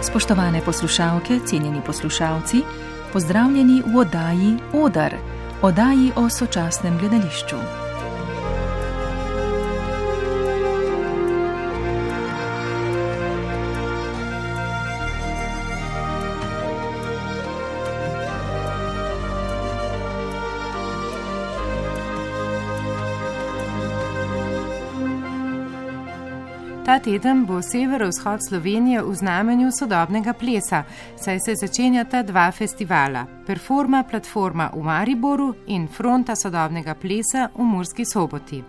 Spoštovane poslušalke, cenjeni poslušalci, pozdravljeni v oddaji Odar, oddaji o sočasnem gledališču. Ta teden bo severovzhod Slovenije v znamenju sodobnega plesa, saj se začenjata dva festivala, Performa platforma v Mariboru in Fronta sodobnega plesa v Murski Soboti.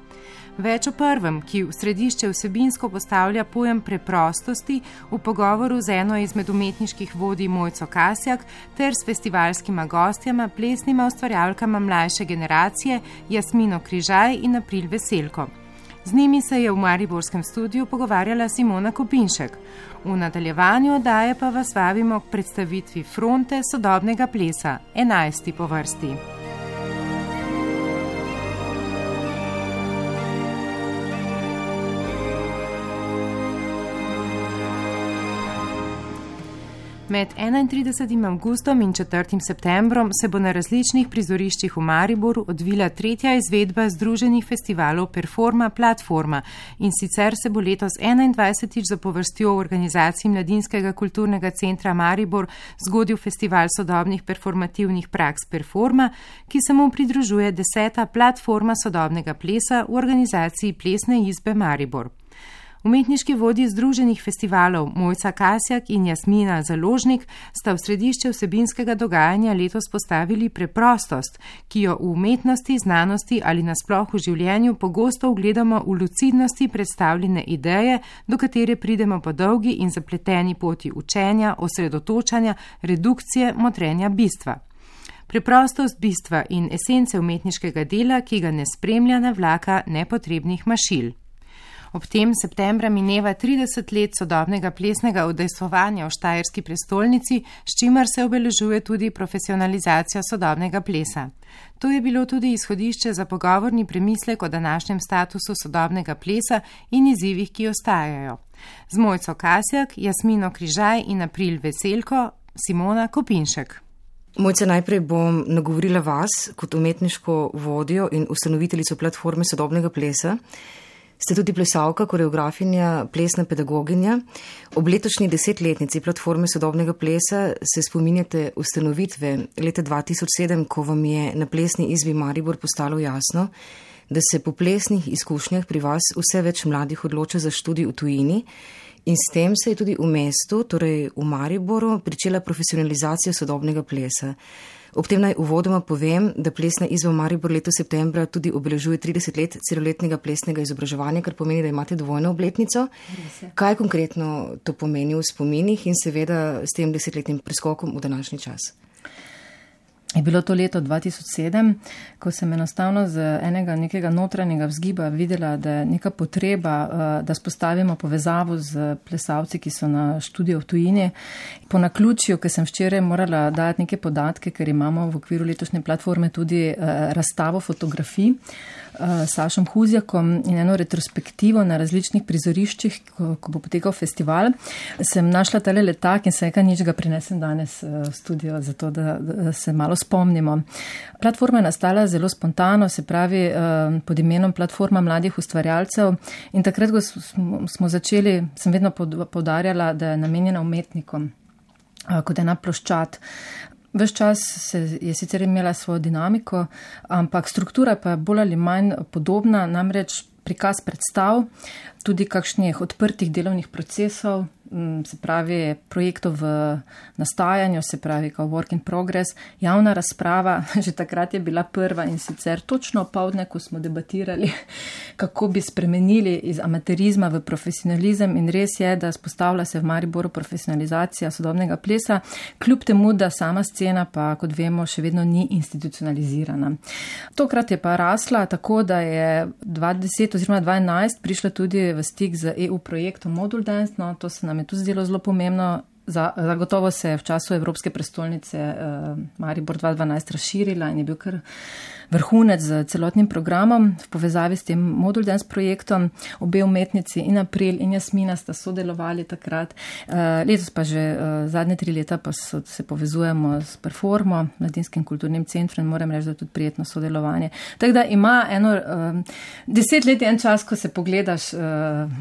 Več o prvem, ki v središče vsebinsko postavlja pojem preprostosti, v pogovoru z eno izmed umetniških vodij Mojco Kasjak ter s festivalskima gostjama, plesnima ustvarjalkama mlajše generacije Jasmino Križaj in April Veselko. Z njimi se je v mariborskem studiu pogovarjala Simona Kopinšek. V nadaljevanju oddaje pa vas vabimo k predstavitvi Fronte sodobnega plesa, 11. po vrsti. Med 31. avgustom in 4. septembrom se bo na različnih prizoriščih v Mariboru odvila tretja izvedba združenih festivalov Performa platforma in sicer se bo letos 21. zapovrstjo v organizaciji Mladinskega kulturnega centra Maribor zgodil festival sodobnih performativnih praks Performa, ki se mu pridružuje 10. platforma sodobnega plesa v organizaciji Plesne izbe Maribor. Umetniški vodji združenih festivalov Mojca Kasjak in Jasmina Založnik sta v središče vsebinskega dogajanja letos postavili preprostost, ki jo v umetnosti, znanosti ali nasploh v življenju pogosto ugledamo v lucidnosti predstavljene ideje, do katere pridemo po dolgi in zapleteni poti učenja, osredotočanja, redukcije, motrenja bistva. Preprostost bistva in esence umetniškega dela, ki ga ne spremlja navlaka nepotrebnih mašil. Ob tem septembra mineva 30 let sodobnega plesnega udejstvovanja v Štajerski prestolnici, s čimer se obeležuje tudi profesionalizacija sodobnega plesa. To je bilo tudi izhodišče za pogovorni premislek o današnjem statusu sodobnega plesa in izzivih, ki ostajajo. Z Mojco Kasjak, Jasmino Križaj in April Veselko, Simona Kopinšek. Mojca, najprej bom nagovorila vas kot umetniško vodjo in ustanoviteljico platforme sodobnega plesa. Ste tudi plesalka, koreografinja, plesna pedagoginja. Ob letošnji 10-letnici platforme sodobnega plesa se spominjate ustanovitve leta 2007, ko vam je na plesni izbi Maribor postalo jasno, da se po plesnih izkušnjah pri vas vse več mladih odloča za študij v tujini in s tem se je tudi v mestu, torej v Mariboru, pričela profesionalizacija sodobnega plesa. Ob tem naj uvodoma povem, da plesna izba Maribor letos septembra tudi obeležuje 30 let celoletnega plesnega izobraževanja, kar pomeni, da imate dvojno obletnico. Kaj konkretno to pomeni v spominih in seveda s tem 10-letnim preskokom v današnji čas? Je bilo to leto 2007, ko sem enostavno z nekega notranjega vzgiba videla, da je neka potreba, da spostavimo povezavo z plesalci, ki so na študiju v tujini. Po naključju, ker sem včeraj morala dati neke podatke, ker imamo v okviru letošnje platforme tudi razstavo fotografij s Sašom Huzjakom in eno retrospektivo na različnih prizoriščih, ko bo potekal festival, sem našla tale letak in se nič ga prinesem danes v studio, zato da se malo spomnimo. Platforma je nastala zelo spontano, se pravi pod imenom Platforma mladih ustvarjalcev in takrat, ko smo začeli, sem vedno poudarjala, da je namenjena umetnikom, kot ena ploščad. Ves čas je sicer imela svojo dinamiko, ampak struktura pa je bolj ali manj podobna, namreč prikaz predstav, tudi kakšnih odprtih delovnih procesov, se pravi projektov v nastajanju, se pravi kao work in progress, javna razprava, že takrat je bila prva in sicer točno opoldne, ko smo debatirali, kako bi spremenili iz amaterizma v profesionalizem in res je, da spostavlja se v Mariboru profesionalizacija sodobnega plesa, kljub temu, da sama scena pa, kot vemo, še vedno ni institucionalizirana. Tokrat je pa rasla tako, da je 2010 oziroma 2011 prišla tudi v stik z EU projektom Modul Dance, no, to se nam je tudi zdelo zelo pomembno Zagotovo se je v času Evropske prestolnice Maribor 2012 razširila in je bil kar vrhunec z celotnim programom v povezavi s tem Modul Dance projektom. Obe umetnici in April in Jasmina sta sodelovali takrat. Letos pa že zadnje 3 leta pa se povezujemo s Performo, Mladinskim kulturnim centrom, in moram reči, da je tudi prijetno sodelovanje. Tako da ima 10 let en čas, ko se pogledaš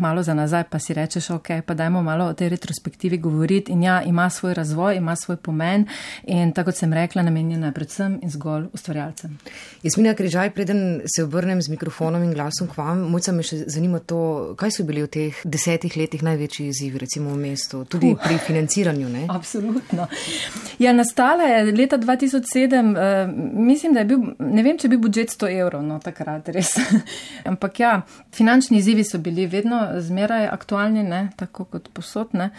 malo za nazaj, pa si rečeš, ok, pa dajmo malo o tej retrospektivi govoriti, in ja, ima svoj razvoj, ima svoj pomen in tako kot sem rekla, namenjena je predvsem in zgolj ustvarjalcem. Jasmina Križaj, preden se obrnem z mikrofonom in glasom k vam, mojca me še zanima to, kaj so bili v teh 10 letih največji izzivi, recimo v mestu, tudi pri financiranju, ne? Absolutno. Ja, nastala je leta 2007, mislim, da je bil, ne vem, če bi budžet 100 evrov, no takrat res. Ampak ja, finančni izzivi so bili vedno zmeraj aktualni, ne, tako kot posod, ne.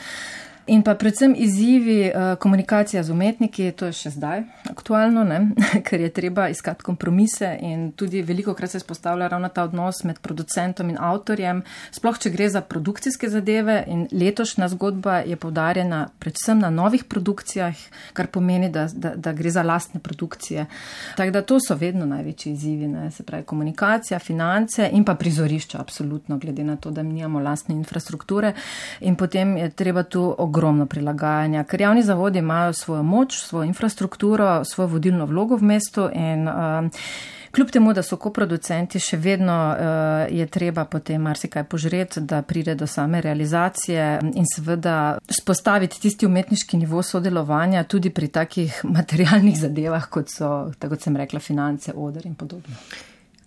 In pa predvsem izzivi komunikacija z umetniki, to je še zdaj aktualno, ne? Ker je treba iskati kompromise in tudi veliko krat se spostavlja ravno ta odnos med producentom in avtorjem, sploh če gre za produkcijske zadeve, in letošnja zgodba je poudarjena predvsem na novih produkcijah, kar pomeni, da gre za lastne produkcije. Tako da to so vedno največji izzivi, ne? Se pravi komunikacija, finance in pa prizorišča, absolutno, glede na to, da nimamo lastne infrastrukture, in potem je treba tu ogromno prilagajanja, ker javni zavodi imajo svojo moč, svojo infrastrukturo, svojo vodilno vlogo v mestu in kljub temu, da so koproducenti, še vedno je treba potem marsikaj požreti, da pride do same realizacije in seveda spostaviti tisti umetniški nivo sodelovanja tudi pri takih materialnih zadevah, kot so, tako kot sem rekla, finance, oder in podobno.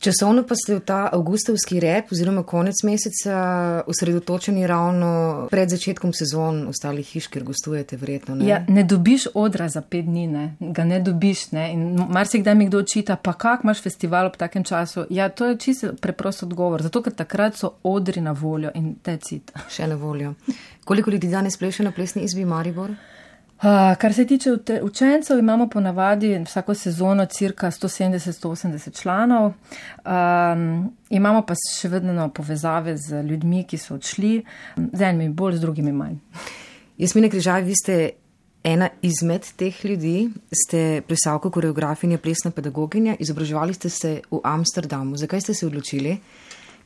Časovno pa ste v ta avgustovski rep oziroma konec meseca osredotočeni ravno pred začetkom sezon ostalih hiš, kjer gostujete verjetno, ne? Ja, ne dobiš odra za 5 dni, ne? Ga ne dobiš, ne? In marsikdaj mi kdo očita, pa kak imaš festival ob takem času? Ja, to je čisto preprost odgovor, zato ker takrat so odri na voljo in tecit. Še na voljo. Koliko ljudi danes pleše na plesni izbi Maribor? Kar se tiče učencev, imamo ponavadi vsako sezono cirka 170-180 članov. Imamo pa še vedno povezave z ljudmi, ki so odšli, z enimi bolj, z drugimi manj. Jasmina Križaj, vi ste ena izmed teh ljudi, ste plesalka, koreografinja, plesna pedagoginja, izobraževali ste se v Amsterdamu. Zakaj ste se odločili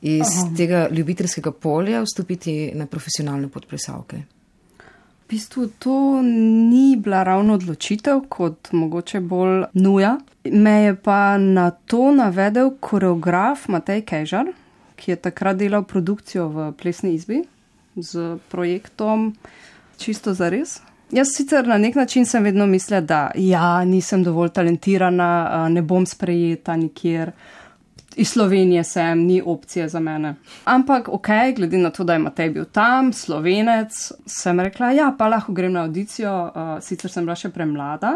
iz tega ljubiteljskega polja vstopiti na profesionalno pot plesalke? V bistvu to ni bila ravno odločitev, kot mogoče bolj nuja. Me je pa na to navedel koreograf Matej Kejžar, ki je takrat delal produkcijo v plesni izbi z projektom Čisto zares. Jaz sicer na nek način sem vedno mislila, da ja, nisem dovolj talentirana, ne bom sprejeta nikjer. Iz Slovenije sem, ni opcije za mene. Ampak ok, glede na to, da je Matej bil tam, Slovenec, sem rekla, ja, pa lahko grem na audicijo, sicer sem bila še premlada.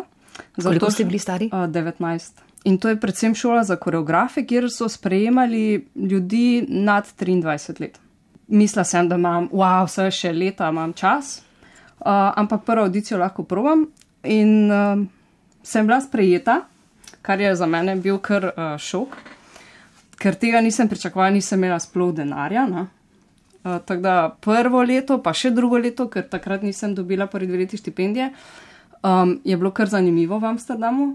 Koliko ste bili stari? 19. In to je predvsem šola za koreografe, kjer so sprejemali ljudi nad 23 let. Mislila sem, da imam, vse še leta imam čas, ampak prvo audicijo lahko probam in sem bila sprejeta, kar je za mene bil kar šok. Ker tega nisem pričakovala, nisem imela sploh denarja. Tako da prvo leto, pa še drugo leto, ker takrat nisem dobila prvi 2 leti štipendije, je bilo kar zanimivo v Amsterdamu,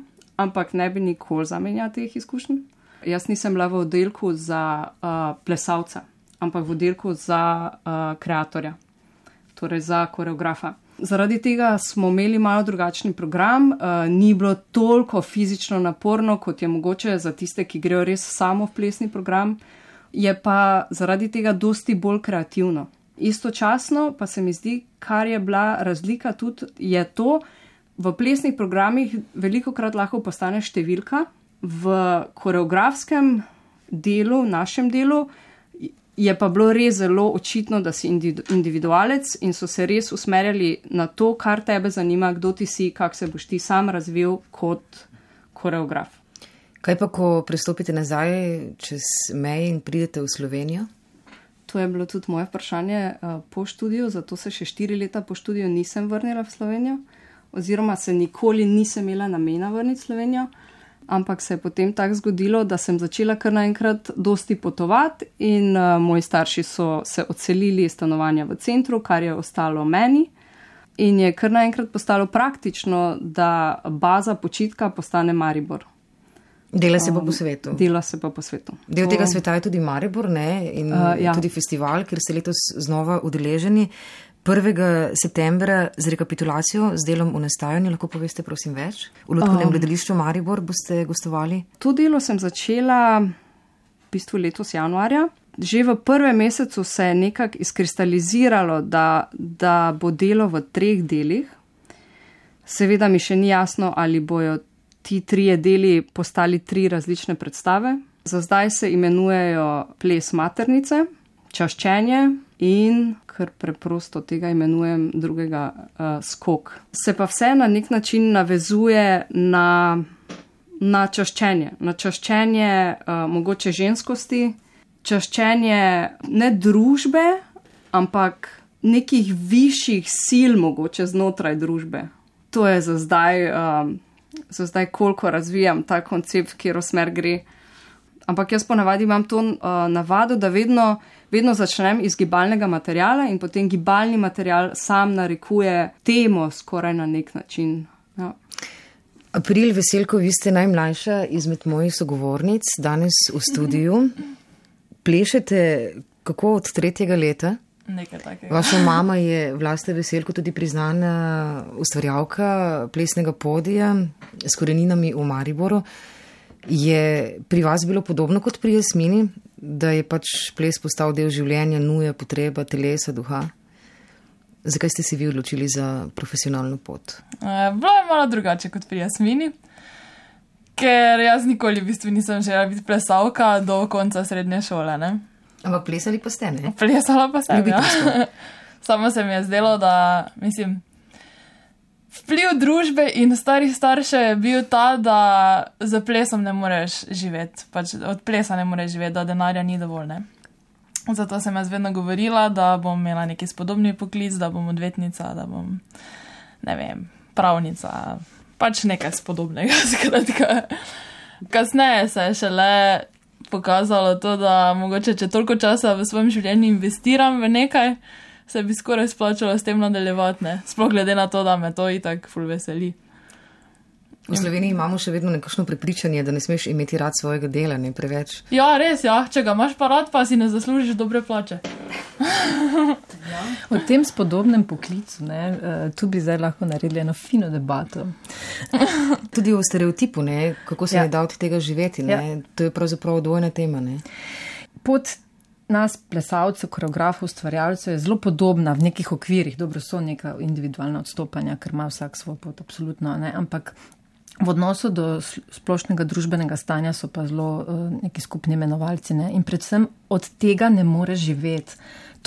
ampak ne bi nikoli zamenjala teh izkušenj. Jaz nisem bila v oddelku za plesalca, ampak v oddelku za kreatorja, torej za koreografa. Zaradi tega smo imeli malo drugačni program, ni bilo toliko fizično naporno, kot je mogoče za tiste, ki grejo res samo v plesni program, je pa zaradi tega dosti bolj kreativno. Istočasno pa se mi zdi, kar je bila razlika tudi, je to, v plesnih programih velikokrat lahko postane številka, v koreografskem delu, našem delu, je pa bilo res zelo očitno, da si individualec in so se res usmerjali na to, kar tebe zanima, kdo ti si, kako se boš ti sam razvil kot koreograf. Kaj pa, ko prestopite nazaj čez meje in pridete v Slovenijo? To je bilo tudi moje vprašanje po študiju, zato se še 4 leta po študiju nisem vrnila v Slovenijo, oziroma se nikoli nisem imela namena vrniti v Slovenijo. Ampak se je potem tako zgodilo, da sem začela kar naenkrat dosti potovati in moji starši so se odselili iz stanovanja v centru, kar je ostalo meni. in je kar naenkrat postalo praktično, da baza počitka postane Maribor. Dela se pa po svetu. Dela se pa po svetu. Del tega sveta je tudi Maribor, ne? In tudi festival, kjer ste letos znova udeleženi. 1. septembra z rekapitulacijo, z delom v nastajanju, lahko poveste prosim več? V Lutkovnem gledališču Maribor boste gostovali? To delo sem začela v bistvu letos januarja. Že v 1. mesecu se je nekako izkristaliziralo, da bo delo v 3 delih. Seveda mi še ni jasno, ali bojo ti 3 deli postali 3 različne predstave. Za zdaj se imenujejo Ples maternice, Čaščenje in, kar preprosto tega imenujem, drugega Skok. Se pa vse na nek način navezuje na čaščenje. Na čaščenje mogoče ženskosti, čaščenje ne družbe, ampak nekih višjih sil mogoče znotraj družbe. To je za zdaj koliko razvijam ta koncept, v katero smer gre. Ampak jaz ponavadi imam to navado, da vedno začnem iz gibalnega materiala in potem gibalni material sam narekuje temo skoraj na nek način. Ja. April Veselko, vi ste najmlajša izmed mojih sogovornic danes v studiu. Plešete kako od 3. leta? Nekaj takega. Vaša mama je Vlasta Veselko tudi priznana ustvarjalka plesnega podija s koreninami v Mariboru. Je pri vas bilo podobno kot pri Jasmini, da je pač ples postal del življenja, nuja, potreba, telesa, duha? Zakaj ste se vi odločili za profesionalno pot? Bilo je malo drugače kot pri Jasmini, ker jaz nikoli v bistvu nisem želela biti plesalka do konca srednje šole, ne? Ampak plesali pa ste, ne? Plesala pa sem, ja. Samo se mi je zdelo, da, vpliv družbe in starih staršev je bil ta, da za plesom ne moreš živeti, pač od plesa ne moreš živeti, da denarja ni dovolj, ne. Zato sem jaz vedno govorila, da bom imela neki spodobni poklic, da bom odvetnica, da bom, pravnica, pač nekaj spodobnega, skratka. Kasneje se je šele pokazalo to, da mogoče, če toliko časa v svojem življenju investiram v nekaj, se bi skoraj splačalo s tem nadaljevati, ne? Sploh glede na to, da me to itak ful veseli. V Sloveniji imamo še vedno nekakšno prepričanje, da ne smeš imeti rad svojega dela, ne preveč. Ja, res, ja. Če ga imaš pa rad, pa si ne zaslužiš dobre plače. O tem spodobnem poklicu, ne, tu bi zdaj lahko naredili eno fino debato. Tudi o stereotipu, ne, kako se ne da od tega živeti, ne. To je pravzaprav dvojna tema, ne. Pot nas, plesalcev, koreografov, ustvarjalcev je zelo podobna v nekih okvirih. Dobro, so neka individualna odstopanja, ker ima vsak svoj pot, absolutno, ne, ampak v odnosu do splošnega družbenega stanja so pa zelo neki skupni imenovalci, ne, in predvsem od tega ne more živeti.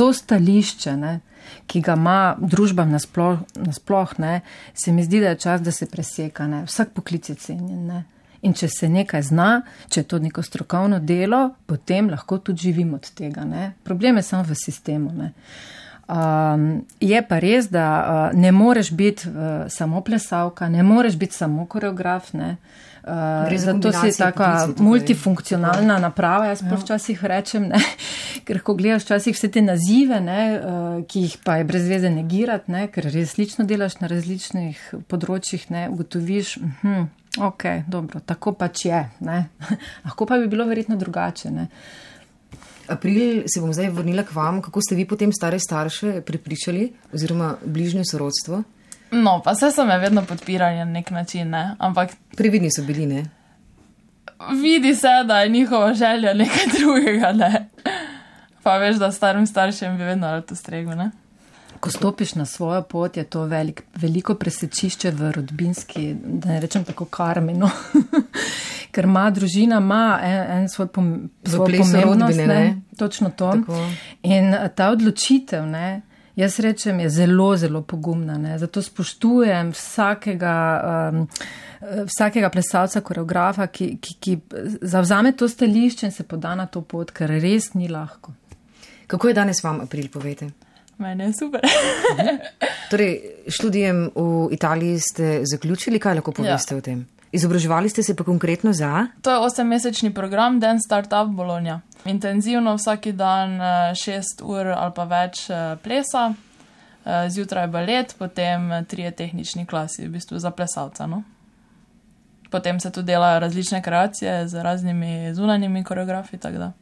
To stališče, ne, ki ga ima družba nasploh, ne, se mi zdi, da je čas, da se preseka, ne. Vsak poklic je cenjen, ne. In če se nekaj zna, če je to neko strokovno delo, potem lahko tudi živimo od tega, ne. Problem je samo v sistemu, ne. Je pa res, da ne moreš biti samo plesalka, ne moreš biti samo koreograf, ne. Zato si taka multifunkcionalna naprava, jaz pa včasih rečem, ne, ker ko gledaš včasih vse te nazive, ne, ki jih pa je brez veze negirati, ne, ker različno delaš na različnih področjih, ne, ugotoviš, ok, dobro, tako pač je, ne. Lahko pa bi bilo verjetno drugače, ne. April, se bom zdaj vrnila k vam. Kako ste vi potem stare starše prepričali oziroma bližnje sorodstvo? No, pa vse so me vedno podpirali na nek način, ne, ampak... Previdni so bili, ne? Vidi se, da je njihova želja nekaj drugega, ne. Pa veš, da starim staršem bi vedno rad ustregel, ne. Ko stopiš na svojo pot, je to veliko presečišče v rodbinski, da ne rečem tako karmi, no. Ker družina ima en svoj pomembnost, ne, točno to. Tako. In ta odločitev, ne, jaz rečem, je zelo, zelo pogumna, ne. Zato spoštujem vsakega plesalca, koreografa, ki zavzame to stališče in se poda na to pot, ker res ni lahko. Kako je danes vam, April, povete? Mene je super. Torej, študijem v Italiji ste zaključili, kaj lahko poveste o tem? Izobraževali ste se pa konkretno za? To je 8-mesečni program Dance Startup Bologna. Intenzivno vsaki dan 6 ur ali pa več plesa. Zjutraj balet, potem 3 tehnični klasi, v bistvu za plesalca, no. Potem se tudi delajo različne kreacije z raznimi zunanjimi koreografi, tako da.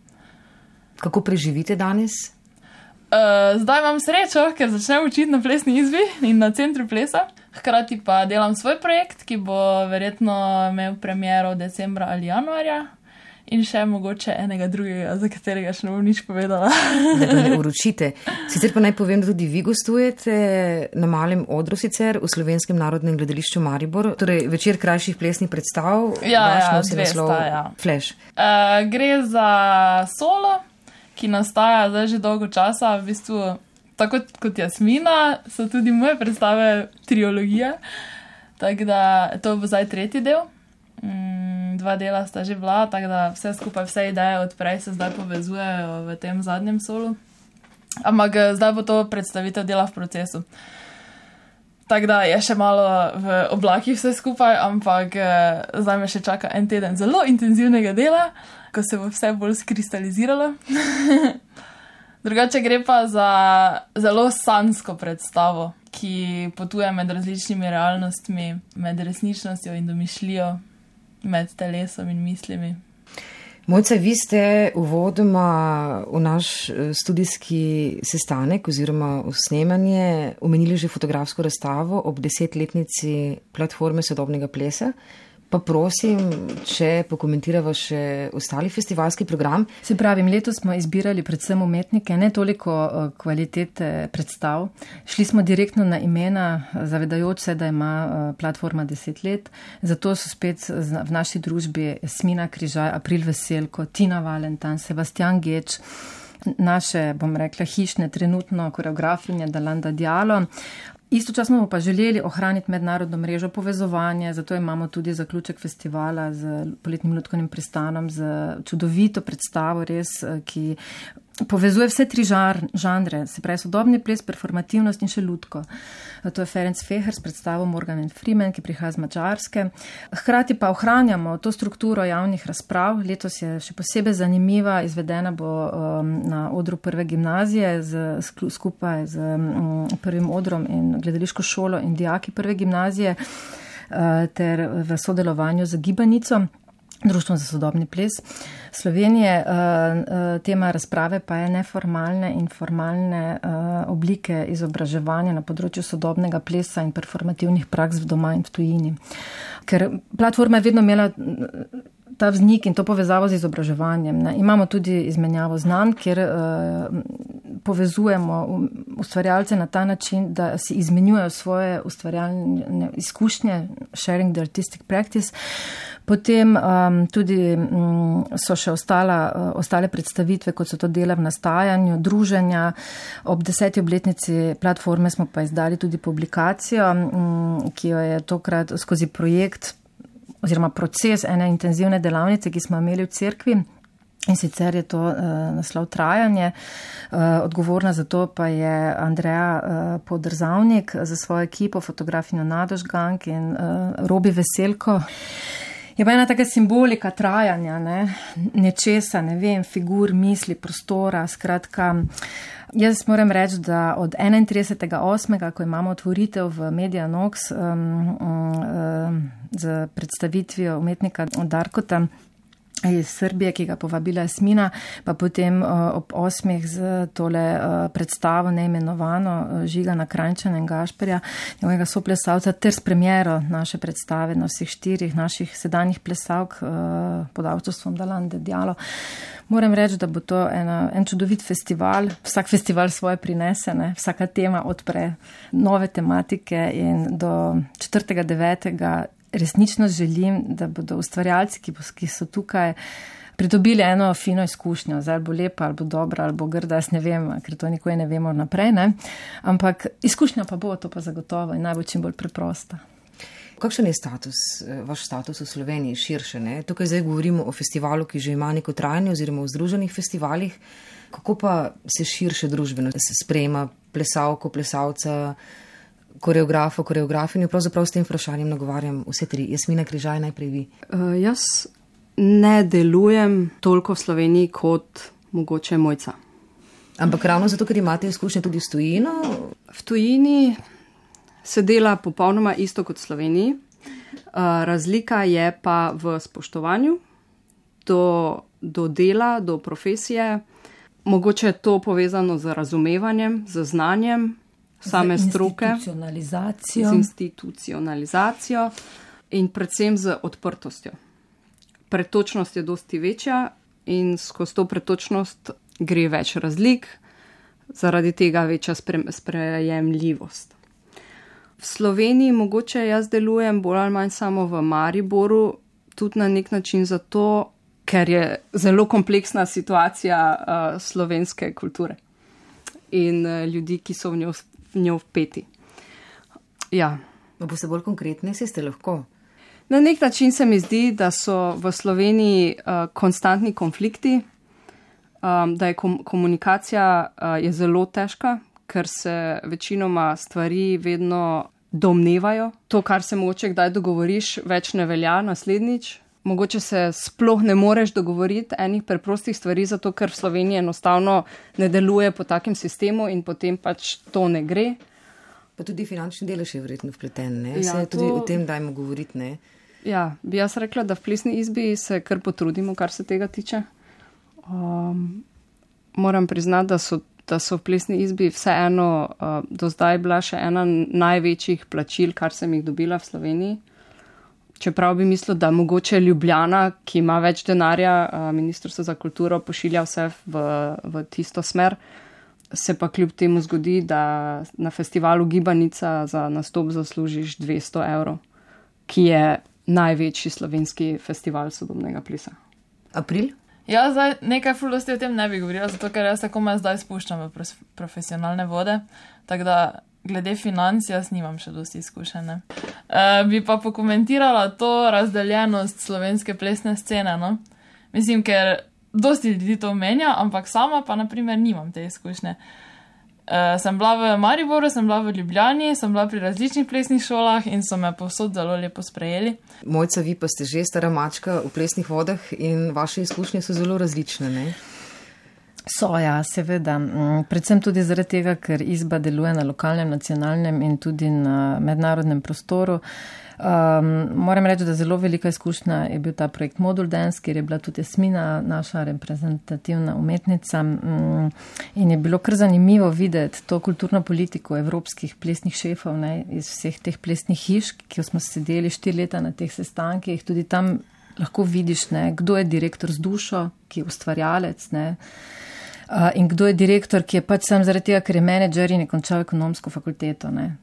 Kako preživite danes? Zdaj imam srečo, ker začnem učiti na plesni izbi in na centru plesa. Hkrati pa delam svoj projekt, ki bo verjetno imel premiero decembra ali januarja. In še mogoče enega drugega, za katerega še ne bom nič povedala. Da pa ne uročite. Sicer pa naj povem, da tudi vi gostujete na malem odru sicer v Slovenskem narodnem gledališču Maribor. Torej večer krajših plesnih predstav. Ja, 2 sta, ja. Flash. Gre za solo, ki nastaja zdaj že dolgo časa. V bistvu, tako kot Jasmina, so tudi moje predstave triologija. Tako da to bo zdaj 3. del. 2 dela sta že bila, tako da vse skupaj, vse ideje odprej se zdaj povezujejo v tem zadnjem solu. Ampak zdaj bo to predstavitev dela v procesu. Tako da je še malo v oblakih vse skupaj, ampak zdaj me še čaka en teden zelo intenzivnega dela, ko se bo vse bolj skristaliziralo. Drugače gre pa za zelo sanjsko predstavo, ki potuje med različnimi realnostmi, med resničnostjo in domišljijo, med telesom in mislimi. Mojca, vi ste uvodoma v naš studijski sestanek oziroma v snemanje omenili že fotografsko razstavo ob 10-letnici platforme sodobnega plesa. Pa prosim, če pokomentirava še ostali festivalski program. Se pravi, letos smo izbirali predvsem umetnike, ne toliko kvalitete predstav. Šli smo direktno na imena, zavedajoč se, da ima platforma 10 let. Zato so spet v naši družbi Jasmina Križaj, April Veselko, Tina Valentan, Sebastian Geč, naše, bom rekla, hišne trenutno koreografinje Dalanda Dialo. Istočasno bomo pa želeli ohraniti mednarodno mrežo povezovanja, zato imamo tudi zaključek festivala z poletnim lutkovnim pristanom, z čudovito predstavo res, ki povezuje vse 3 žanre, se pravi sodobni ples, performativnost in še lutko. To je Ferenc Feher s predstavo Morgan and Freeman, ki prihaja z Madžarske. Hkrati pa ohranjamo to strukturo javnih razprav. Letos je še posebej zanimiva, izvedena bo na odru prve gimnazije skupaj z prvim odrom in gledališko šolo in dijaki prve gimnazije ter v sodelovanju z Gibanico, Društvom za sodobni ples Slovenije. Tema razprave pa je neformalne in formalne oblike izobraževanja na področju sodobnega plesa in performativnih praks v doma in v tujini. Ker platforma je vedno imela ta vznik in to povezavo z izobraževanjem. Ne. Imamo tudi izmenjavo znanj, kjer povezujemo ustvarjalce na ta način, da si izmenjujejo svoje ustvarjalne izkušnje, sharing the artistic practice. Potem tudi so še ostale predstavitve, kot so to dela v nastajanju, druženja. Ob 10. obletnici platforme smo pa izdali tudi publikacijo, ki jo je tokrat skozi projekt oziroma proces ene intenzivne delavnice, ki smo imeli v cerkvi. In sicer je to naslov Trajanje. Odgovorna za to pa je Andreja Podrzavnik za svojo ekipo, fotografinjo Nado Žgank in Robi Veselko. Je pa ena taka simbolika trajanja, nečesa, ne vem, figur, misli, prostora, skratka. Jaz moram reči, da od 31.8., ko imamo otvoritev v Media Nox z predstavitvijo umetnika Darkota iz Srbije, ki ga povabila Jasmina, pa potem ob 8. z tole predstavo neimenovano Žigana Krajnčana in Gašperja, njegovega soplesalca, ter s premiero naše predstave na vseh 4 naših sedanjih plesalk pod avtorstvom Dalande Dialo. Moram reči, da bo to en čudovit festival. Vsak festival svoje prinese, vsaka tema odpre nove tematike in do 4.9. resnično želim, da bodo ustvarjalci, ki so tukaj, pridobili eno fino izkušnjo. Zdaj bo lepa, ali bo dobra, ali bo grda, jaz ne vem, ker to nikoli ne vemo naprej, ampak izkušnja pa bo, to pa zagotovo in najbolj čim bolj preprosta. Kakšen je vaš status v Sloveniji širše? Tukaj zdaj govorimo o festivalu, ki že ima neko trajanje oziroma v združenih festivalih. Kako pa se širše družbeno se sprejema plesalko, plesalca, koreografo, koreografinjo? Pravzaprav s tem vprašanjem nagovarjam vse 3. Jasmina Križaj, najprej vi. Jaz ne delujem toliko v Sloveniji kot mogoče Mojca. Ampak ravno zato, ker imate izkušnje tudi s tujino? V tujini se dela popolnoma isto kot v Sloveniji. Razlika je pa v spoštovanju do dela, do profesije. Mogoče je to povezano z razumevanjem, z znanjem same stroke. Z institucionalizacijo in predvsem z odprtostjo. Pretočnost je dosti večja in skozi to pretočnost gre več razlik, zaradi tega večja sprejemljivost. V Sloveniji mogoče jaz delujem bolj ali manj samo v Mariboru, tudi na nek način zato, ker je zelo kompleksna situacija slovenske kulture in ljudi, ki so v njo vpeti. Ja. Boste bolj konkretni, ste lahko? Na nek način se mi zdi, da so v Sloveniji konstantni konflikti, da je komunikacija je zelo težka, ker se večinoma stvari vedno domnevajo. To, kar se mogoče kdaj dogovoriš, več ne velja naslednjič. Mogoče se sploh ne moreš dogovoriti enih preprostih stvari, zato ker v Sloveniji enostavno ne deluje po takem sistemu in potem pač to ne gre. Pa tudi finančni delež je verjetno vpleten, ne? Ja, se tudi o tem dajmo govoriti, ne? Ja, bi jaz rekla, da v plesni izbi se kar potrudimo, kar se tega tiče. Moram priznati, da so v plesni izbi vseeno do zdaj bila še ena največjih plačil, kar sem jih dobila v Sloveniji. Čeprav bi mislil, da mogoče Ljubljana, ki ima več denarja, Ministrstvo za kulturo pošilja vse v tisto smer, se pa kljub temu zgodi, da na festivalu Gibanica za nastop zaslužiš 200 €, ki je največji slovenski festival sodobnega plesa. April? Ja, zdaj nekaj fuldosti o tem ne bi govorila, zato ker jaz tako me zdaj spuščam v profesionalne vode, tako da glede financ jaz nimam še dosti izkušene. Bi pa pokomentirala to razdeljenost slovenske plesne scene, no? Mislim, ker dosti ljudi to omenja, ampak sama pa naprimer nimam te izkušnje. Sem bila v Mariboru, sem bila v Ljubljani, sem bila pri različnih plesnih šolah in so me povsod zelo lepo sprejeli. Mojca, vi pa ste že stara mačka v plesnih vodah in vaše izkušnje so zelo različne, ne? So, ja, seveda. Predvsem tudi zaradi tega, ker izba deluje na lokalnem, nacionalnem in tudi na mednarodnem prostoru. Moram reči, da zelo velika izkušnja je bil ta projekt Modul Dance, kjer je bila tudi Jasmina, naša reprezentativna umetnica, in je bilo kar zanimivo videti to kulturno politiko evropskih plesnih šefov, ne, iz vseh teh plesnih hiš, ki smo sedeli 4 leta na teh sestankih. Tudi tam lahko vidiš, ne, kdo je direktor z dušo, ki je ustvarjalec, ne, in kdo je direktor, ki je pač sam zaradi tega, ker je menedžer in je končal ekonomsko fakulteto, ne.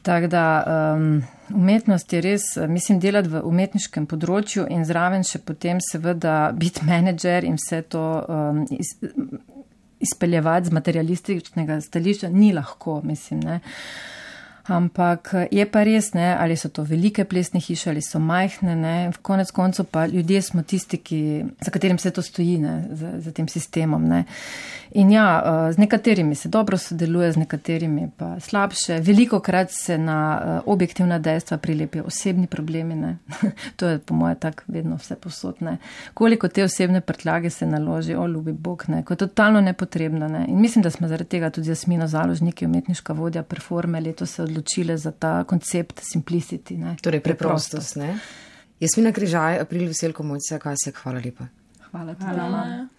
Tako da umetnost je res, mislim, delati v umetniškem področju in zraven še potem seveda biti menedžer in vse to izpeljevati z materialističnega stališča ni lahko, mislim, ne. Ampak je pa res, ne, ali so to velike plesne hiše ali so majhne, ne, v konec koncu pa ljudje smo tisti, za katerim se to stoji, ne, za tem sistemom, ne. In ja, z nekaterimi se dobro sodeluje, z nekaterimi pa slabše. Velikokrat se na objektivna dejstva prilepijo osebni problemi, ne. To je po moje tak vedno vse posod, ne. Koliko te osebne prtljage se naloži, o ljubi Bog, ne, ko je totalno nepotrebno, ne. In mislim, da smo zaradi tega tudi Jasmino Založnik, umetniška vodja Performe, letos se odločile za ta koncept simplicity, ne. Torej preprostost, ne. Jasmina Križaj, April Veselko, Mojca Kasek, hvala lepa. Hvala.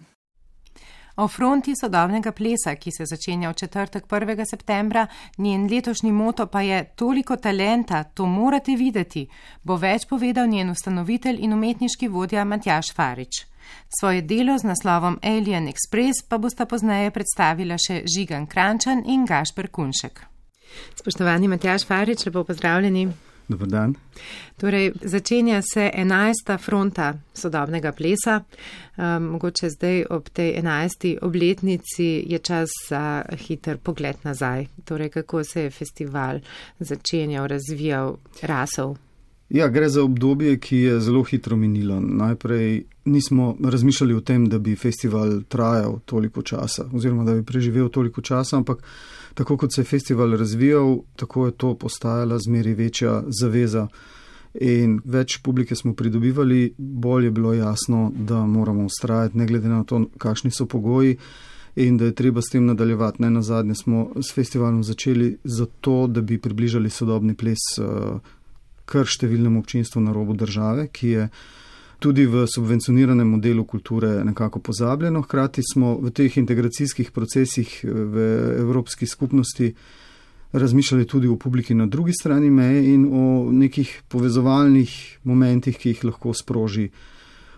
O fronti sodobnega plesa, ki se začenja v četrtek 1. septembra, njen letošnji moto pa je toliko talenta, to morate videti, bo več povedal njen ustanovitelj in umetniški vodja Matjaž Farič. Svoje delo z naslovom Alien Express pa bosta pozneje predstavila še Žigan Krančan in Gašper Kunšek. Spoštovani Matjaž Farič, lepo pozdravljeni. Dobar dan. Torej, začenja se 11. fronta sodobnega plesa. Mogoče zdaj ob tej 11. obletnici je čas za hiter pogled nazaj. Torej, kako se je festival začenjal, razvijal, rasel? Ja, gre za obdobje, ki je zelo hitro minilo. Najprej nismo razmišljali o tem, da bi festival trajal toliko časa, oziroma da bi preživel toliko časa, ampak tako kot se je festival razvijal, tako je to postajala zmeri večja zaveza in več publike smo pridobivali, bolj je bilo jasno, da moramo vztrajati, ne glede na to, kakšni so pogoji. in da je treba s tem nadaljevati. Ne nazadnje smo s festivalom začeli zato, da bi približali sodobni ples kar številnemu občinstvu na robu države, ki je tudi v subvencioniranem modelu kulture nekako pozabljeno. Hkrati smo v teh integracijskih procesih v Evropski skupnosti razmišljali tudi o publiki na drugi strani meje in o nekih povezovalnih momentih, ki jih lahko sproži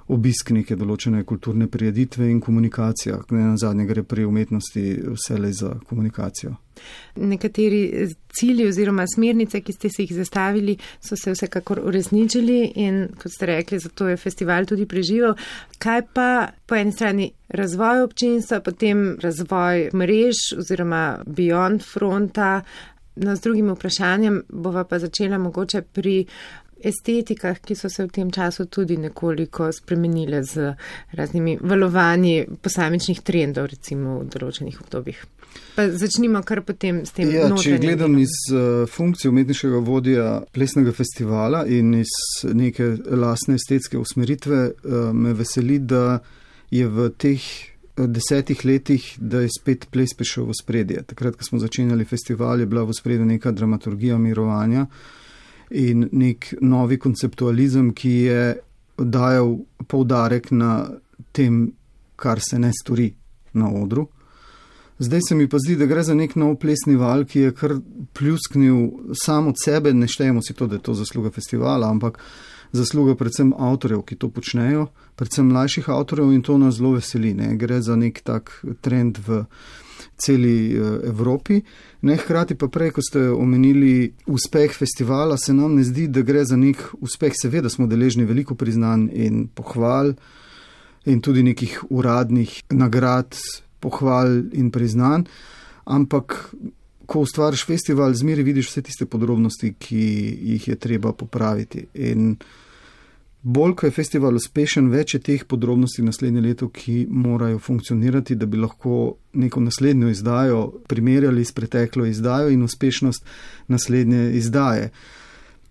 obisk neke določene kulturne prireditve in komunikacija. Na zadnje gre pri umetnosti vselej za komunikacijo. Nekateri cilji oziroma smernice, ki ste si jih zastavili, so se vsekakor uresničili in, kot ste rekli, zato je festival tudi preživel. Kaj pa po eni strani razvoj občinstva, potem razvoj mrež oziroma beyond fronta? No, z drugim vprašanjem bova pa začela mogoče pri estetikah, ki so se v tem času tudi nekoliko spremenile z raznimi valovanji posamičnih trendov, recimo v določenih obdobjih. Pa začnimo kar potem s tem notranjim. Če gledam iz funkcije umetniškega vodja plesnega festivala in iz neke lastne estetske usmeritve, me veseli, da je v teh 10 letih, da je spet ples prišel v spredje. Takrat, ko smo začenjali festival, je bila v spredju neka dramaturgija mirovanja in nek novi konceptualizem, ki je dajal poudarek na tem, kar se ne stori na odru. Zdaj se mi pa zdi, da gre za nek nov plesni val, ki je kar pljusknil sam od sebe, ne štejemo si to, da je to zasluga festivala, ampak zasluga predvsem avtorjev, ki to počnejo, predvsem mlajših avtorjev in to nas zelo veseli. Ne? Gre za nek tak trend v celi Evropi. Hkrati pa prej, ko ste omenili uspeh festivala, se nam ne zdi, da gre za nek uspeh. Seveda smo deležni veliko priznanj in pohval in tudi nekih uradnih nagrad, pohval in priznanj, ampak ko ustvariš festival, zmeri vidiš vse tiste podrobnosti, ki jih je treba popraviti. In bolj, ko je festival uspešen, več je teh podrobnosti naslednje leto, ki morajo funkcionirati, da bi lahko neko naslednjo izdajo primerjali s preteklo izdajo in uspešnost naslednje izdaje.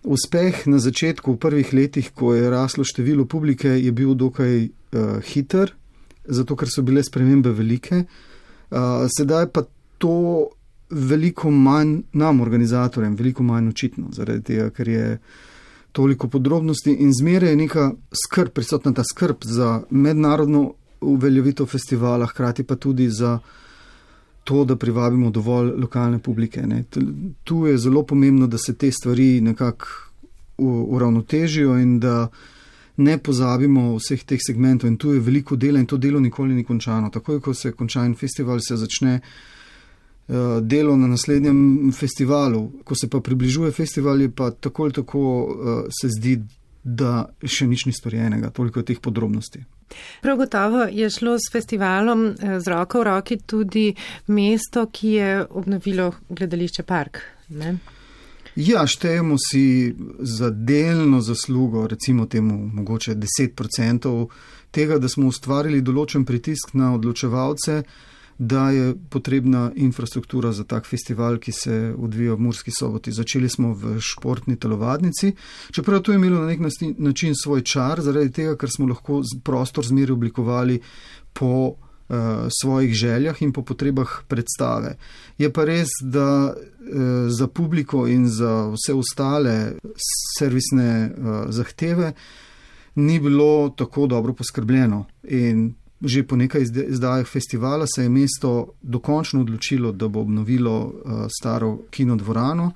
Uspeh na začetku, v prvih letih, ko je raslo število publike, je bil dokaj hiter, zato ker so bile spremembe velike. Sedaj pa to veliko manj nam, organizatorjem, veliko manj očitno, zaradi tega, ker je toliko podrobnosti in zmeraj je neka skrb, prisotna ta skrb za mednarodno uveljavitev festivala, hkrati pa tudi za to, da privabimo dovolj lokalne publike. Ne. Tu je zelo pomembno, da se te stvari nekako uravnotežijo in da ne pozabimo vseh teh segmentov in tu je veliko dela in to delo nikoli ni končano. Takoj, ko se konča en festival, se začne delo na naslednjem festivalu. Ko se pa približuje festival, je pa tako ali tako se zdi, da še nič ni storjenega, toliko teh podrobnosti. Prav gotovo je šlo s festivalom z roko v roki tudi mesto, ki je obnovilo gledališče Park, ne? Ja, štejemo si za delno zaslugo, recimo temu mogoče 10% tega, da smo ustvarili določen pritisk na odločevalce, da je potrebna infrastruktura za tak festival, ki se odvija v Murski Soboti. Začeli smo v športni telovadnici, čeprav to je imelo na nek način svoj čar, zaradi tega, ker smo lahko prostor zmeri oblikovali po svojih željah in po potrebah predstave. Je pa res, da za publiko in za vse ostale servisne zahteve ni bilo tako dobro poskrbljeno in že po nekaj izdajah festivala se je mesto dokončno odločilo, da bo obnovilo staro kinodvorano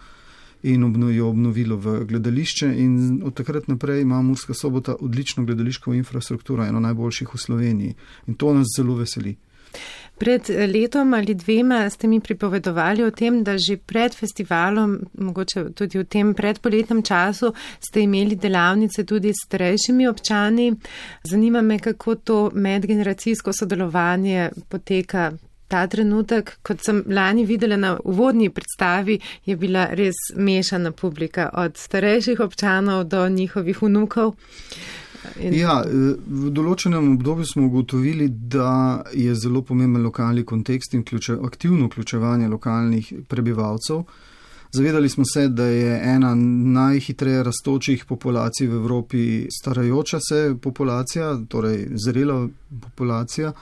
in jo obnovilo v gledališče in od takrat naprej ima Murska Sobota odlično gledališko infrastrukturo, eno najboljših v Sloveniji in to nas zelo veseli. Pred letom ali dvema ste mi pripovedovali o tem, da že pred festivalom, mogoče tudi v tem predpoletnem času, ste imeli delavnice tudi s starejšimi občani. Zanima me, kako to medgeneracijsko sodelovanje poteka ta trenutek. Kot sem lani videla na uvodni predstavi, je bila res mešana publika od starejših občanov do njihovih vnukov. Ja, v določenem obdobju smo ugotovili, da je zelo pomemben lokalni kontekst in aktivno vključevanje lokalnih prebivalcev. Zavedali smo se, da je ena najhitreje rastočih populacij v Evropi starajoča se populacija, torej zrela populacija.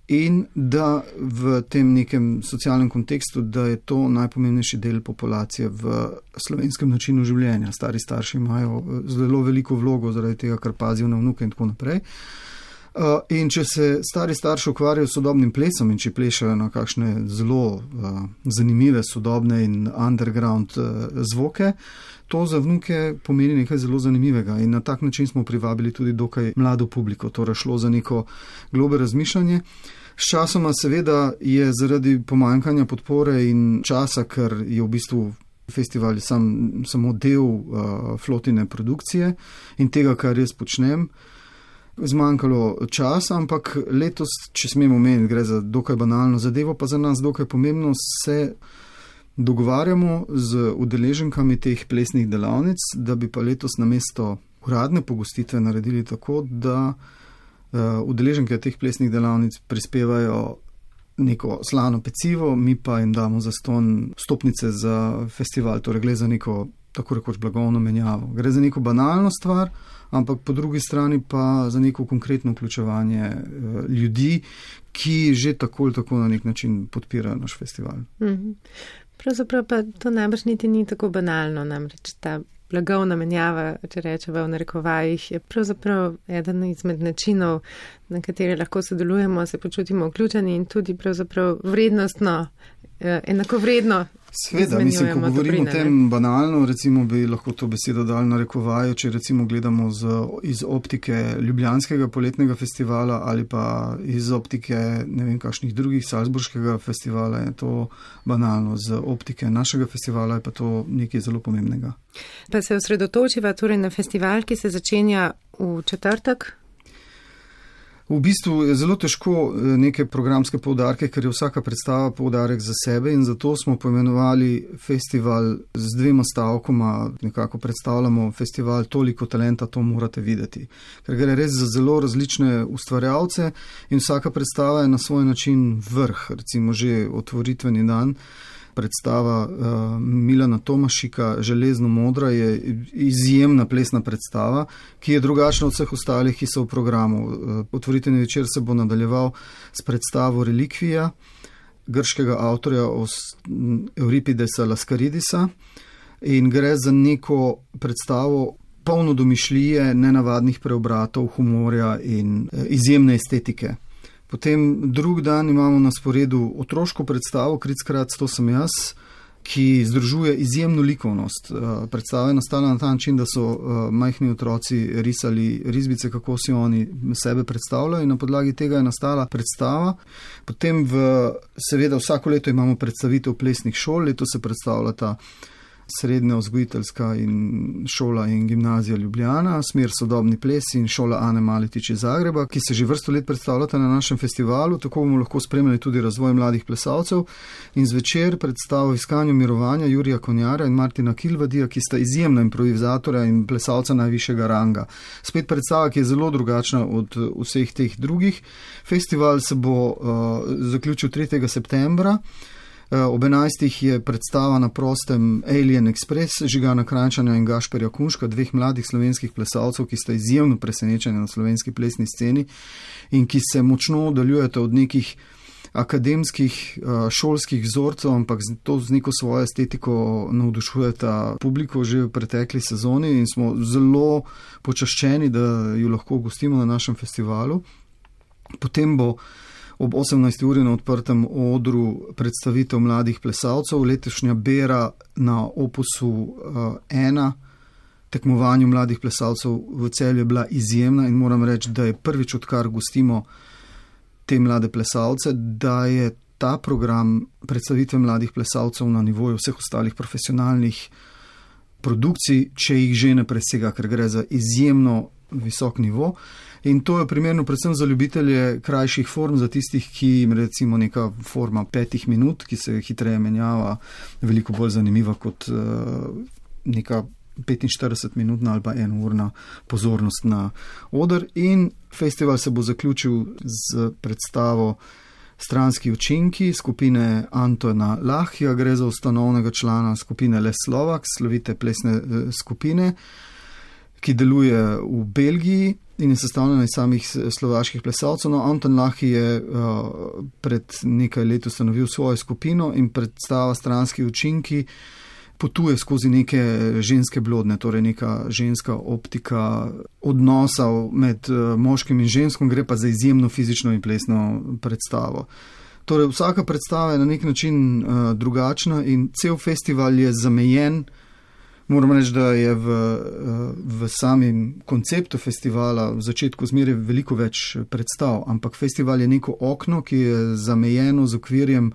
in da v tem nekem socialnem kontekstu, da je to najpomembnejši del populacije v slovenskem načinu življenja. Stari starši imajo zelo veliko vlogo zaradi tega, ker pazijo na vnuke in tako naprej. In če se stari starši ukvarjajo s sodobnim plesom in če plešajo na kakšne zelo zanimive sodobne in underground zvoke, to za vnuke pomeni nekaj zelo zanimivega in na tak način smo privabili tudi dokaj mlado publiko, torej šlo za neko globe razmišljanje. S časoma seveda je zaradi pomanjkanja podpore in časa, ker je v bistvu festival samo del flotine produkcije in tega, kar jaz počnem, zmanjkalo časa, ampak letos, če smemo omeniti, gre za dokaj banalno zadevo, pa za nas dokaj pomembno, se dogovarjamo z udeleženkami teh plesnih delavnic, da bi pa letos namesto uradne pogostitve naredili tako, da udeleženke teh plesnih delavnic prispevajo neko slano pecivo, mi pa jim damo zastonj stopnice za festival, torej gre za neko tako rekoč blagovno menjavo. Gre za neko banalno stvar, ampak po drugi strani pa za neko konkretno vključevanje ljudi, ki že tako ali tako na nek način podpirajo naš festival. Pravzaprav pa to najbrž niti ni tako banalno, namreč ta blagovna menjava, če rečeva v narekovajih, je pravzaprav eden izmed načinov, na kateri lahko sodelujemo, se počutimo vključeni in tudi pravzaprav vrednostno, enakovredno. Sveda, mislim, ko govorimo o tem banalno, recimo bi lahko to besedo dali narekovajo, če recimo gledamo iz optike Ljubljanskega poletnega festivala ali pa iz optike ne vem kakšnih drugih, Salzburškega festivala, je to banalno, z optike našega festivala je pa to nekaj zelo pomembnega. Pa se osredotočiva torej na festival, ki se začenja v četrtek? V bistvu je zelo težko neke programske poudarke, ker je vsaka predstava poudarek za sebe in zato smo poimenovali festival z 2 stavkoma, nekako predstavljamo festival Toliko talenta, to morate videti. Ker gre res za zelo različne ustvarjalce in vsaka predstava je na svoj način vrh, recimo že otvoritveni dan. Predstava Milana Tomašika, Železno modra, je izjemna plesna predstava, ki je drugačna od vseh ostalih, ki so v programu. Otvoritveni večer se bo nadaljeval s predstavo Relikvija grškega avtorja Euripidesa Laskaridisa in gre za neko predstavo polno domišljije, nenavadnih preobratov, humorja in izjemne estetike. Potem drug dan imamo na sporedu otroško predstavo Krickrat, to sem jaz, ki združuje izjemno likovnost. Predstava je nastala na ta način, da so majhni otroci risali risbice, kako si oni sebe predstavljajo in na podlagi tega je nastala predstava. Potem seveda vsako leto imamo predstavitev plesnih šol, leto se predstavljata Srednja vzgojiteljska in šola in gimnazija Ljubljana, smer sodobni ples in šola Ane Maletič iz Zagreba, ki se že vrsto let predstavljata na našem festivalu, tako bomo lahko spremljali tudi razvoj mladih plesalcev in zvečer predstavo Iskanju mirovanja Jurija Konjarja in Martina Kilvadija, ki sta izjemna improvizatorja in plesalca najvišjega ranga. Spet predstava, ki je zelo drugačna od vseh teh drugih. Festival se bo zaključil 3. septembra. Ob 11. je predstava na prostem Alien Express Žigana Krajnčana in Gašperja Kunška, 2 mladih slovenskih plesalcev, ki sta izjemno presenečeni na slovenski plesni sceni in ki se močno oddaljujete od nekih akademskih, šolskih vzorcev, ampak to z neko svojo estetiko navdušujeta publiko že v pretekli sezoni in smo zelo počaščeni, da jo lahko gostimo na našem festivalu. Potem bo ob 18. uri na odprtem odru predstavitev mladih plesalcev, letošnja bera na Opusu 1, tekmovanju mladih plesalcev v Celju je bila izjemna in moram reči, da je prvič, odkar gostimo te mlade plesalce, da je ta program predstavitve mladih plesalcev na nivoju vseh ostalih profesionalnih produkcij, če jih že ne presega, ker gre za izjemno visok nivo. In to je primerno predvsem za ljubitelje krajših form, za tistih, ki jim recimo neka forma 5 minut, ki se hitreje menjava, veliko bolj zanimiva kot neka 45-minutna ali pa 1-urna pozornost na oder. In festival se bo zaključil z predstavo Stranski učinki skupine Antona Lahja, gre za ustanovnega člana skupine Les Slovak, slovite plesne skupine, ki deluje v Belgiji in je sestavljena iz samih slovaških plesalcev. No, Anton Lahi je pred nekaj let ustanovil svojo skupino in predstava Stranski učinki potuje skozi neke ženske blodne, torej neka ženska optika odnosov med moškim in ženskom, gre pa za izjemno fizično in plesno predstavo. Torej, vsaka predstava je na nek način drugačna in cel festival je zamejen. Moram reči, da je v samem konceptu festivala v začetku zmeraj veliko več predstav, ampak festival je neko okno, ki je zamejeno z okvirjem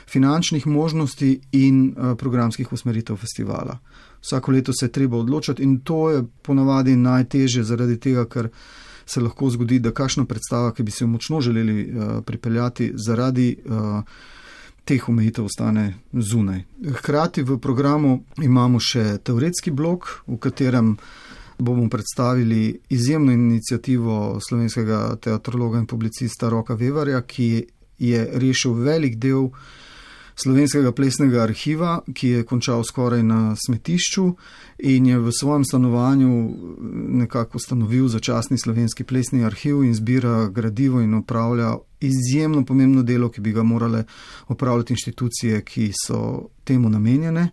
finančnih možnosti in programskih usmeritev festivala. Vsako leto se je treba odločiti in to je ponavadi najtežje zaradi tega, ker se lahko zgodi, da kakšna predstava, ki bi se jo močno želeli pripeljati, zaradi teh omejitev ostane zunaj. Hkrati v programu imamo še teoretski blok, v katerem bomo predstavili izjemno inicijativo slovenskega teatrologa in publicista Roka Vevarja, ki je rešil velik del slovenskega plesnega arhiva, ki je končal skoraj na smetišču in je v svojem stanovanju nekako ustanovil začasni slovenski plesni arhiv in zbira gradivo in opravlja izjemno pomembno delo, ki bi ga morale opravljati inštitucije, ki so temu namenjene,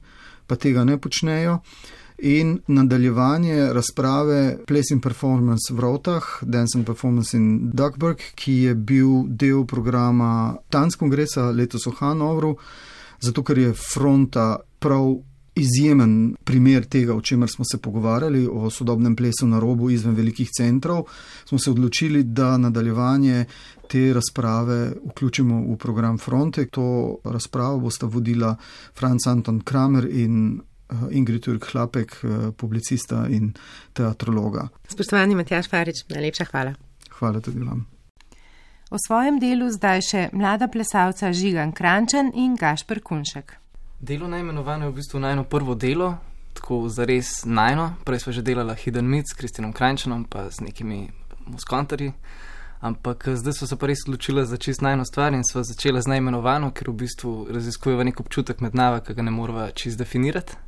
pa tega ne počnejo. In nadaljevanje razprave Ples in Performance v Rotah, Dance and Performance in Duckburg, ki je bil del programa Tanz kongresa letos v Hanovru, zato ker je Fronta prav izjemen primer tega, o čemer smo se pogovarjali, o sodobnem plesu na robu izven velikih centrov, smo se odločili, da nadaljevanje te razprave vključimo v program Fronte. To razpravo bosta vodila Franz Anton Kramer in Ingrid Jurk-Hlapek, publicista in teatrologa. Spoštovani Matjaž Farič, najlepša hvala. Hvala tudi vam. O svojem delu zdaj še mlada plesalca Žigan Krančan in Gašper Kunšek. Delo najmenovano je v bistvu najno prvo delo, tako zares najno. Prej sva že delala Hidden Myths s Kristjanom Krančanom pa z nekimi muskantarji, ampak zdaj sva se pa res odločila za čist najno stvar in sva začela z najmenovano, ker v bistvu raziskujeva nek občutek med nava, ki ga ne morava čist definirati.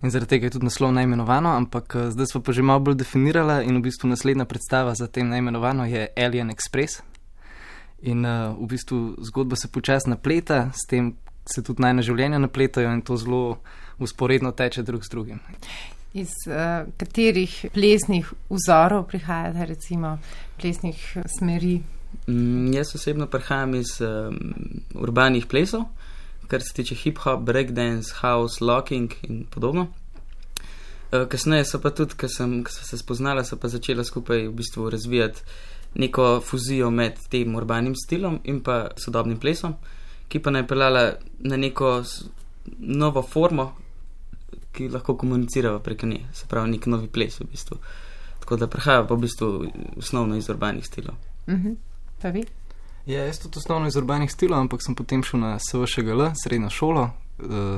In zaradi tega je tudi naslov najmenovano, ampak zdaj sva pa že malo bolj definirala in v bistvu naslednja predstava za tem najmenovano je Alien Express. In v bistvu zgodba se počasi napleta, s tem se tudi najna življenja napletajo in to zelo usporedno teče drug z drugim. Iz katerih plesnih vzorov prihajate, recimo plesnih smeri? Jaz osebno prihajam iz urbanih plesov, kar se tiče hip-hop, breakdance, house, locking in podobno. Kasneje so pa tudi, ko sem se spoznala, so pa začela skupaj v bistvu razvijati neko fuzijo med tem urbanim stilom in pa sodobnim plesom, ki pa naj peljala na neko novo formo, ki lahko komunicirava preko nje, se pravi nek novi ples v bistvu. Tako da prihaja pa v bistvu osnovno iz urbanih stilov. Pa vi? Ja, jaz tudi osnovno iz urbanih stilov, ampak sem potem šel na SVŠGL, srednjo šolo,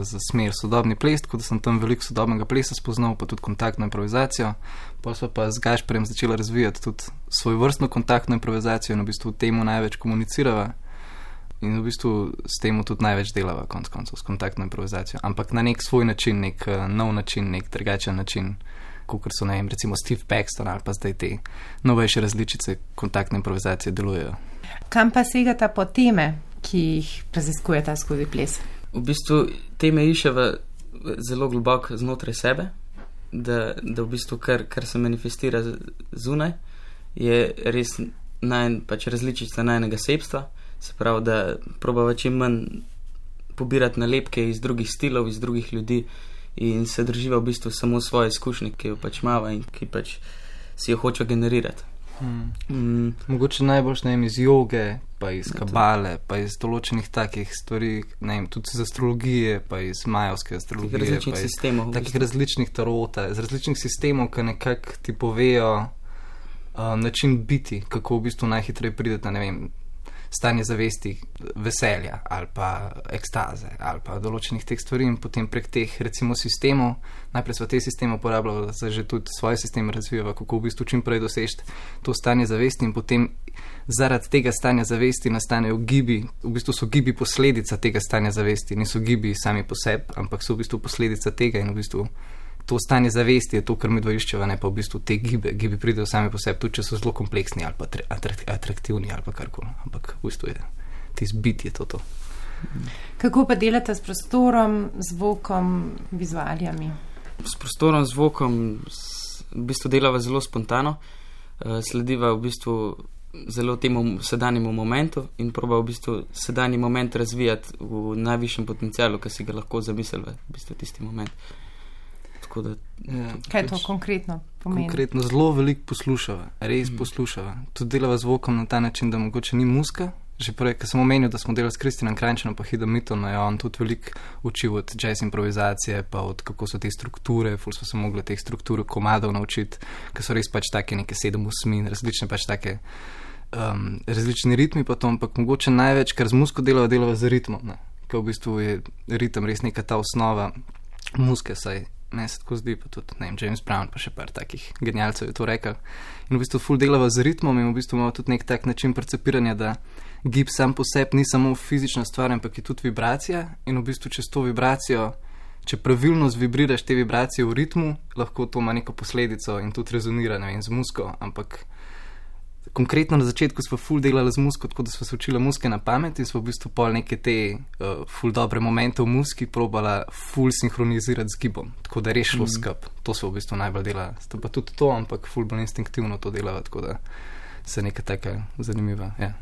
za smer sodobni ples, tako da sem tam veliko sodobnega plesa spoznal, pa tudi kontaktno improvizacijo. Potem sva pa z Gašperjem začela razvijati tudi svoj vrstno kontaktno improvizacijo in v bistvu temu največ komunicirava in v bistvu s temu tudi največ delava konec koncev, s kontaktno improvizacijo. Ampak na nek svoj način, nek nov način, nek drugačen način, kakor so, ne vem, recimo Steve Paxton ali pa zdaj te novejše različice kontaktne improvizacije delujejo. Kam pa segata po teme, ki jih raziskujeta skozi ples? V bistvu teme iščeva zelo globoko znotraj sebe, da v bistvu kar se manifestira zunaj, je res pač različica najnega sebstva, se pravi, da probava čim manj pobirati nalepke iz drugih stilov, iz drugih ljudi in se drživa v bistvu samo svoje izkušnje, ki jo pač mava in ki pač si jo hoče generirati. Mogoče najboljš, ne vem, iz joge, pa iz kabale, pa iz določenih takih stvari, ne vem, tudi iz astrologije, pa iz majovske astrologije, različnih sistemov, takih različnih tarota, iz različnih sistemov, ki nekako ti povejo način biti, kako v bistvu najhitreje pridete, ne vem, stanje zavesti, veselja ali pa ekstaze ali pa določenih teh stvari in potem prek teh recimo sistemov, najprej sva te sisteme uporabljala, zdaj že tudi svoje sisteme razvijava, kako v bistvu čim prej dosežeti to stanje zavesti in potem zaradi tega stanja zavesti nastanejo gibi, v bistvu so gibi posledica tega stanja zavesti, niso gibi sami po sebi, ampak so v bistvu posledica tega in v bistvu to stanje zavesti je to, kar mi dva iščeva, ne pa v bistvu te gibe. Gibi pridejo sami po sebi, tudi če so zelo kompleksni ali pa atraktivni ali pa karkoli. Ampak v bistvu je tisti bit je to. Kako pa delate s prostorom, zvokom, vizualijami? S prostorom, zvokom v bistvu delava zelo spontano, slediva v bistvu zelo temu sedanjemu momentu in proba v bistvu sedanji moment razvijati v najvišjem potencialu, ki si ga lahko zamislila, v bistvu tisti moment. Tako da, kaj to konkretno pomeni? Konkretno zelo veliko poslušava, res poslušava. Tudi delava zvokom na ta način, da mogoče ni muska. Že prej, ker sem omenil, da smo delali s Kristinom Krajnčanom pa Hidom Mittom, je on tudi veliko učil od jazz improvizacije, pa od kako so te strukture, ful smo se mogli teh struktur komadov naučiti, ker so res pač take neke 7/8, različne pač take različni ritmi pa to, ampak mogoče največ, kar z musko delava z ritmom, ne? Ker v bistvu je ritem res neka ta osnova muske, saj ne se tako zdi, pa tudi, ne vem, James Brown pa še par takih genialcev je to rekel. In v bistvu ful delava z ritmom in v bistvu imamo tudi nek tak način percepiranja, da gib sam po sebi ni samo fizična stvar, ampak je tudi vibracija in v bistvu čez to vibracijo, če pravilno zvibriraš te vibracije v ritmu, lahko to ima neko posledico in tudi rezonira, ne vem, z musko, ampak konkretno na začetku smo ful delali z musko, tako da smo se učili muske na pamet in smo v bistvu pol neke te ful dobre momente v muski probala ful sinhronizirati z gibom, tako da je res šlo skup. To smo v bistvu najbolj delali. Sta pa tudi to, ampak ful bolj instinktivno to delava, tako da se neka taka zanimiva, ja.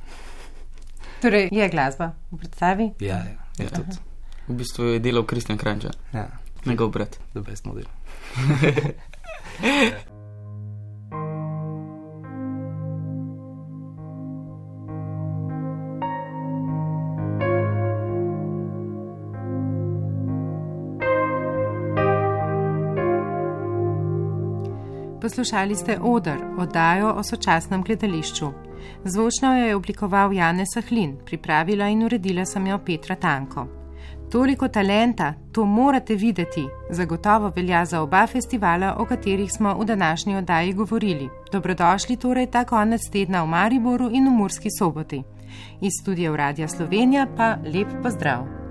Torej, je glasba v predstavi? Ja, je tudi. V bistvu je delal Kristijan Krajnčan. Ja. Njegov brat. The best model. Poslušali ste Oder, oddajo o sočasnem gledališču. Zvočno jo je oblikoval Janez Sahlin, pripravila in uredila sem jo Petra Tanko. Toliko talenta, to morate videti, zagotovo velja za oba festivala, o katerih smo v današnji oddaji govorili. Dobrodošli torej ta konec tedna v Mariboru in v Murski Soboti. Iz studia Radia Slovenija pa lep pozdrav.